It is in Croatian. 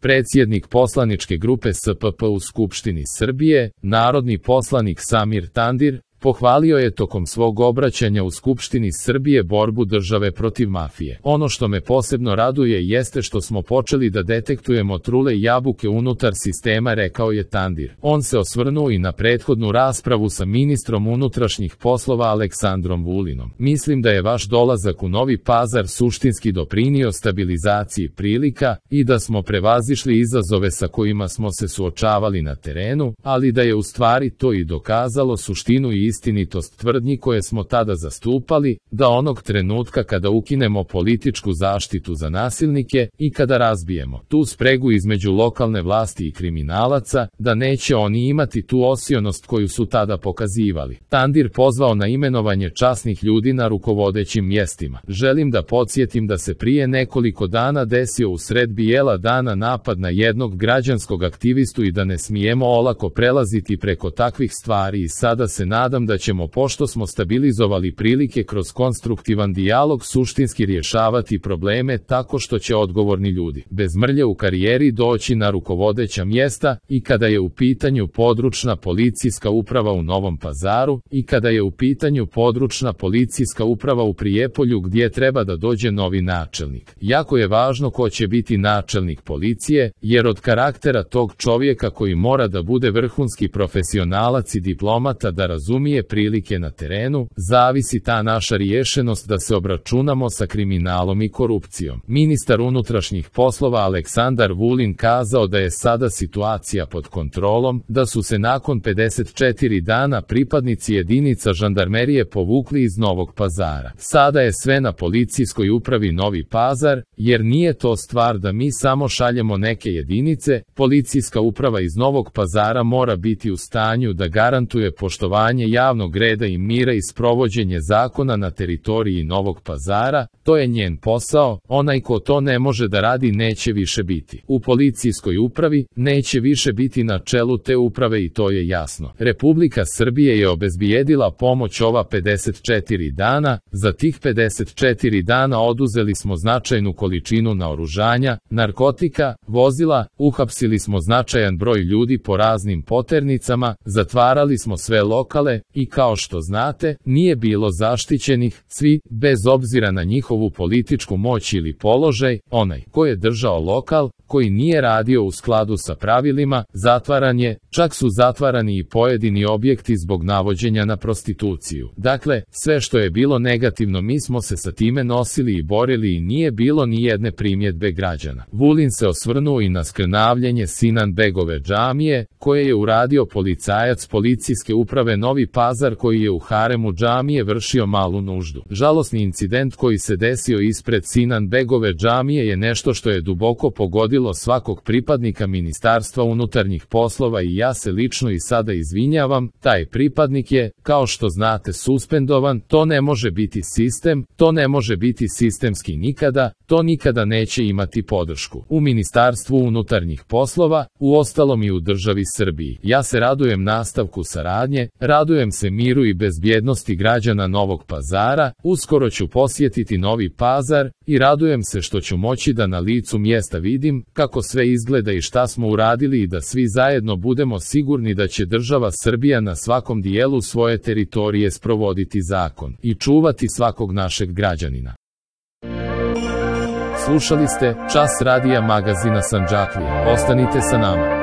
predsjednik poslaničke grupe SPP u Skupštini Srbije, narodni poslanik Samir Tandir, pohvalio je tokom svog obraćanja u Skupštini Srbije borbu države protiv mafije. Ono što me posebno raduje jeste što smo počeli da detektujemo trule jabuke unutar sistema, rekao je Tandir. On se osvrnuo i na prethodnu raspravu sa ministrom unutrašnjih poslova Aleksandrom Vulinom. Mislim da je vaš dolazak u Novi Pazar suštinski doprinio stabilizaciji prilika i da smo prevazišli izazove sa kojima smo se suočavali na terenu, ali da je u stvari to i dokazalo suštinu i istinitost tvrdnji koje smo tada zastupali, da onog trenutka kada ukinemo političku zaštitu za nasilnike i kada razbijemo tu spregu između lokalne vlasti i kriminalaca, da neće oni imati tu osionost koju su tada pokazivali. Tandir pozvao na imenovanje časnih ljudi na rukovodećim mjestima. Želim da podsjetim da se prije nekoliko dana desio usred bijela dana napad na jednog građanskog aktivistu i da ne smijemo olako prelaziti preko takvih stvari i sada se nadam da ćemo, pošto smo stabilizovali prilike kroz konstruktivan dijalog, suštinski rješavati probleme tako što će odgovorni ljudi bez mrlje u karijeri doći na rukovodeća mjesta i kada je u pitanju područna policijska uprava u Novom Pazaru i kada je u pitanju područna policijska uprava u Prijepolju gdje treba da dođe novi načelnik. Jako je važno ko će biti načelnik policije, jer od karaktera tog čovjeka koji mora da bude vrhunski profesionalac i diplomata da razumije prilike na terenu, zavisi ta naša riješenost da se obračunamo sa kriminalom i korupcijom. Ministar unutrašnjih poslova Aleksandar Vulin kazao da je sada situacija pod kontrolom, da su se nakon 54 dana pripadnici jedinica žandarmerije povukli iz Novog Pazara. Sada je sve na policijskoj upravi Novi Pazar, jer nije to stvar da mi samo šaljemo neke jedinice, policijska uprava iz Novog Pazara mora biti u stanju da garantuje poštovanje javnog reda i mira i sprovođenje zakona na teritoriji Novog Pazara, to je njen posao, onaj ko to ne može da radi neće više biti u policijskoj upravi, neće više biti na čelu te uprave i to je jasno. Republika Srbije je obezbijedila pomoć ova 54 dana, za tih 54 dana oduzeli smo značajnu količinu naoružanja, narkotika, vozila, uhapsili smo značajan broj ljudi po raznim poternicama, zatvarali smo sve lokale i kao što znate, nije bilo zaštićenih, svi, bez obzira na njihovu političku moć ili položaj, onaj ko je držao lokal, koji nije radio u skladu sa pravilima, zatvaran je, čak su zatvarani i pojedini objekti zbog navođenja na prostituciju. Dakle, sve što je bilo negativno mi smo se sa time nosili i borili i nije bilo ni jedne primjedbe građana. Vulin se osvrnuo i na skrnavljenje Sinan-begove džamije, koje je uradio policajac policijske uprave Novi Pazar koji je u haremu džamije vršio malu nuždu. Žalosni incident koji se desio ispred Sinan-begove džamije je nešto što je duboko pogodilo svakog pripadnika Ministarstva unutarnjih poslova i ja se lično i sada izvinjavam, taj pripadnik je, kao što znate, suspendovan, to ne može biti sistem, to ne može biti sistemski nikada, to nikada neće imati podršku u Ministarstvu unutarnjih poslova, uostalom i u državi Srbiji. Ja se radujem nastavku saradnje, radujem se miru i bezbjednosti građana Novog Pazara, uskoro ću posjetiti Novi Pazar i radujem se što ću moći da na licu mjesta vidim kako sve izgleda i šta smo uradili i da svi zajedno budemo sigurni da će država Srbija na svakom dijelu svoje teritorije sprovoditi zakon i čuvati svakog našeg građanina. Slušali ste Čas radija magazina Sandžaklija. Ostanite sa nama.